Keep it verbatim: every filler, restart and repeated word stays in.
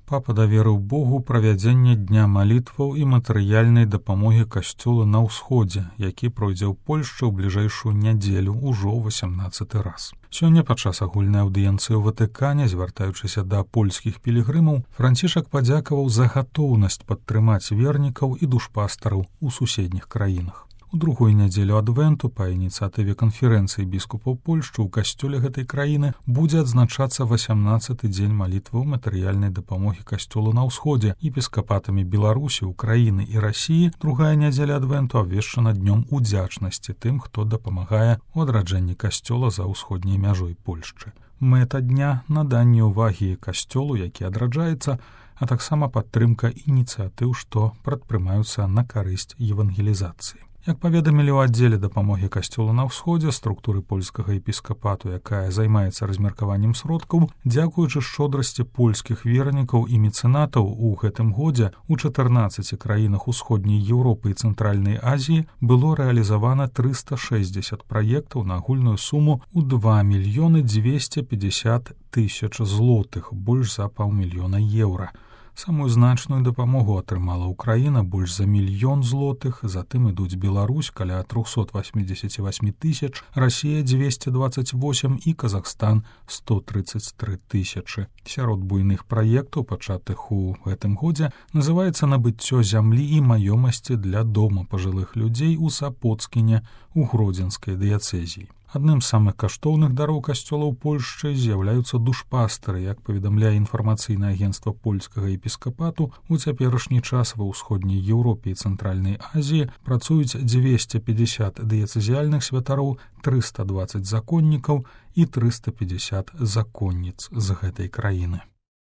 Папа даверыў Богу правядзенне дня малітваў і матэрыяльнай дапамогі касцёла на ўсходзе, які пройдзе ў Польшчы ў бліжэйшую нядзелю ўжо васямнаццаты раз. Сёння падчас агульнай аўдыенцыі ў Ватыкане, звяртаючыся да польскіх пілігрымаў, Францішак падзякаваў за гатоўнасць падтрымаць вернікаў і душпастараў у суседніх краінах. У другую нядзелю адвенту па ініцыятыве канферэнцыі біскупаў Польшчы ў касцёле гэтай краіны будзе адзначацца васямнаццаты дзень малітваў матэрыяльнай дапамогі касцёлу на ўсходзе епіскапатамі Беларусі, Украіны і Расіі. Другая нядзеля адвенту абвешчана днём удзячнасці тым, хто дапамагае ў адраджэнні касцёла за ўсходняй мяжой Польшчы. Мэта дня — наданне ўвагі касцёлу, які адраджаецца, а таксама падтрымка ініцыятыў, што прадпрымаюцца на карысць евангелізацыі. Як паведамілі ў аддзеле дапамогі касцёлу на ўсходзе структуры польскага епіскапату, якая займаецца размеркаваннем сродкаў, дзякуючы шчодрасці польскіх вернікаў і мецэнатаў у гэтым годзе ў чатырнаццаці краінах усходняй Еўропы і Цэнтральнай Азіі было рэалізавана трыста шэсцьдзесят праектаў на агульную суму ў два мільёны дзвесце пятьдесят тысяч злотых, больш за паўмільёна еўра. Самую значную дапамогу атрымала Украіна, больш за мільён злотых, затым ідуць Беларусь, каля триста восемьдесят восемь тысяч, Расія двести двадцать восемь і Казахстан сто тридцать три тысячы. Сярод буйных праектаў, пачатых у гэтым годзе, называецца набыццё зямлі і маёмасці для дома пажылых людзей у Сапоцкіне у Гродзенскай дыяцэзіі. Адным з самых каштоўных дароў касцёла ў Польшчы з'яўляюцца душпастары. Як паведамляе інфармацыйнае агенцтва польскага епіскапату, у цяперашні час ва ўсходняй Еўропе і Цэнтральнай Азіі працуюць двести пятьдесят дыяцэзіяльных святароў, триста двадцать законнікаў і триста пятьдесят законніц з гэтай краіны.